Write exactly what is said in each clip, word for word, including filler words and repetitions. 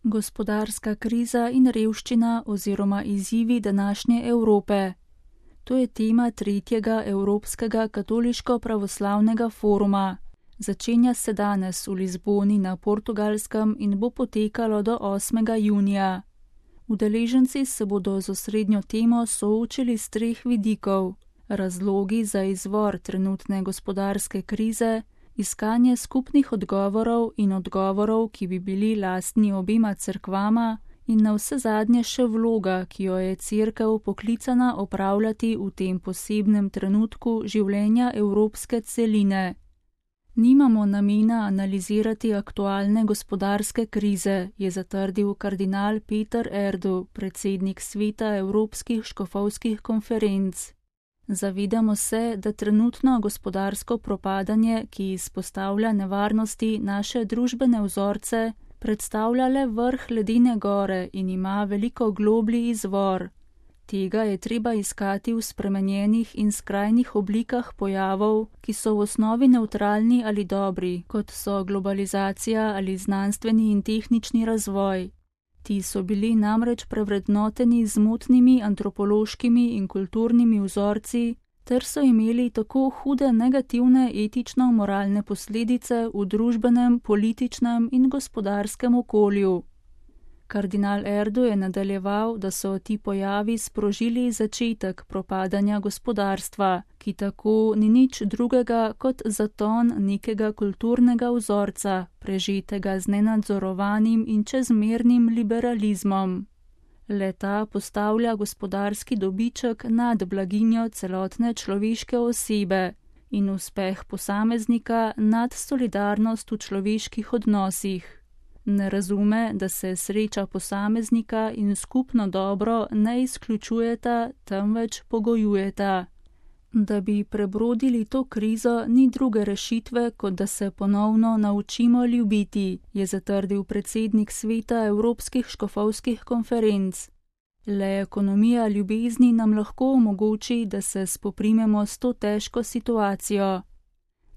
Gospodarska kriza in revščina oziroma izzivi današnje Evrope. To je tema tretjega Evropskega katoliško-pravoslavnega foruma. Začenja se danes v Lizboni na Portugalskem in bo potekalo do osmega junija. Udeleženci se bodo z osrednjo temo soočili s treh vidikov: razlogi za izvor trenutne gospodarske krize, iskanje skupnih odgovorov in odgovorov, ki bi bili lastni obema cerkvama, in navsezadnje še vloga, ki jo je cerkev poklicana opravljati v tem posebnem trenutku življenja evropske celine. Nimamo namena analizirati aktualne gospodarske krize, je zatrdil kardinal Peter Erdo, predsednik sveta Evropskih škofovskih konferenc. Zavedamo se, da trenutno gospodarsko propadanje, ki izpostavlja nevarnosti naše družbene vzorce, predstavlja le vrh ledene gore in ima veliko globlji izvor. Tega je treba iskati v spremenjenih in skrajnih oblikah pojavov, ki so v osnovi nevtralni ali dobri, kot so globalizacija ali znanstveni in tehnični razvoj. Ti so bili namreč prevrednoteni z motnimi antropološkimi in kulturnimi vzorci, ter so imeli tako hude negativne etično-moralne posledice v družbenem, političnem in gospodarskem okolju. Kardinal Erdo je nadaljeval, da so ti pojavi sprožili začetek propadanja gospodarstva, ki tako ni nič drugega kot zaton nekega kulturnega vzorca, prežetega z nenadzorovanim in čezmernim liberalizmom. Le-ta postavlja gospodarski dobiček nad blaginjo celotne človeške osebe in uspeh posameznika nad solidarnost v človeških odnosih. Ne razume, da se sreča posameznika in skupno dobro ne izključujeta, temveč pogojujeta. Da bi prebrodili to krizo, ni druge rešitve, kot da se ponovno naučimo ljubiti, je zatrdil predsednik sveta Evropskih škofovskih konferenc. Le ekonomija ljubezni nam lahko omogoči, da se spoprimemo s to težko situacijo.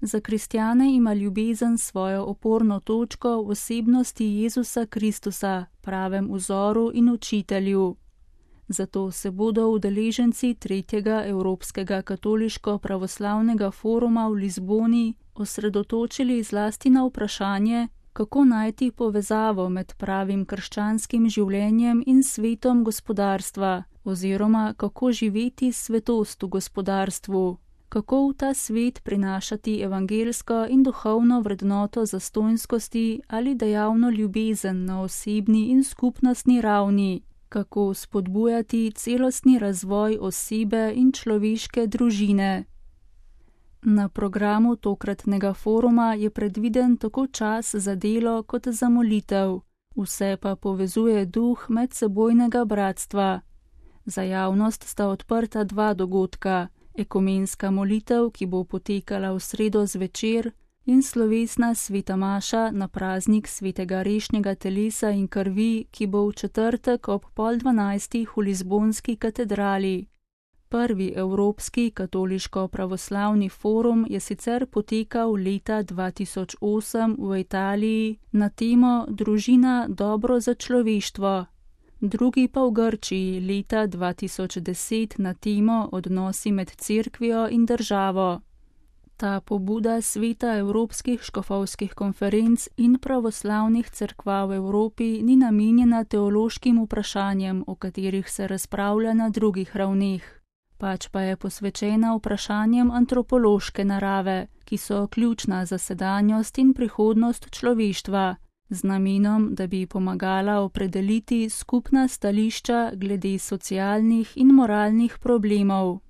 Za kristjane ima ljubezen svojo oporno točko v osebnosti Jezusa Kristusa, pravem vzoru in učitelju. Zato se bodo udeleženci tretjega Evropskega katoliško-pravoslavnega foruma v Lizboni osredotočili zlasti na vprašanje, kako najti povezavo med pravim krščanskim življenjem in svetom gospodarstva, oziroma kako živeti svetost v gospodarstvu. Kako v ta svet prinašati evangelsko in duhovno vrednoto zastonjskosti ali dejavno ljubezen na osebni in skupnostni ravni, kako spodbujati celostni razvoj osebe in človeške družine. Na programu tokratnega foruma je predviden tako čas za delo kot za molitev, vse pa povezuje duh medsebojnega bratstva. Za javnost sta odprta dva dogodka. Ekumenska molitev, ki bo potekala v sredo zvečer, in slovesna sveta maša na praznik svetega rešnjega telesa in krvi, ki bo v četrtek ob pol dvanajstih v Lizbonski katedrali. Prvi Evropski katoliško-pravoslavni forum je sicer potekal leta dva tisoč osem v Italiji na temo Družina dobro za človeštvo. Drugi pa v Grčiji leta dva tisoč deset na temo Odnosi med cerkvijo in državo. Ta pobuda sveta Evropskih škofovskih konferenc in pravoslavnih cerkva v Evropi ni namenjena teološkim vprašanjem, o katerih se razpravlja na drugih ravneh, pač pa je posvečena vprašanjem antropološke narave, ki so ključna za sedanjost in prihodnost človeštva, z namenom, da bi pomagala opredeliti skupna stališča glede socialnih in moralnih problemov.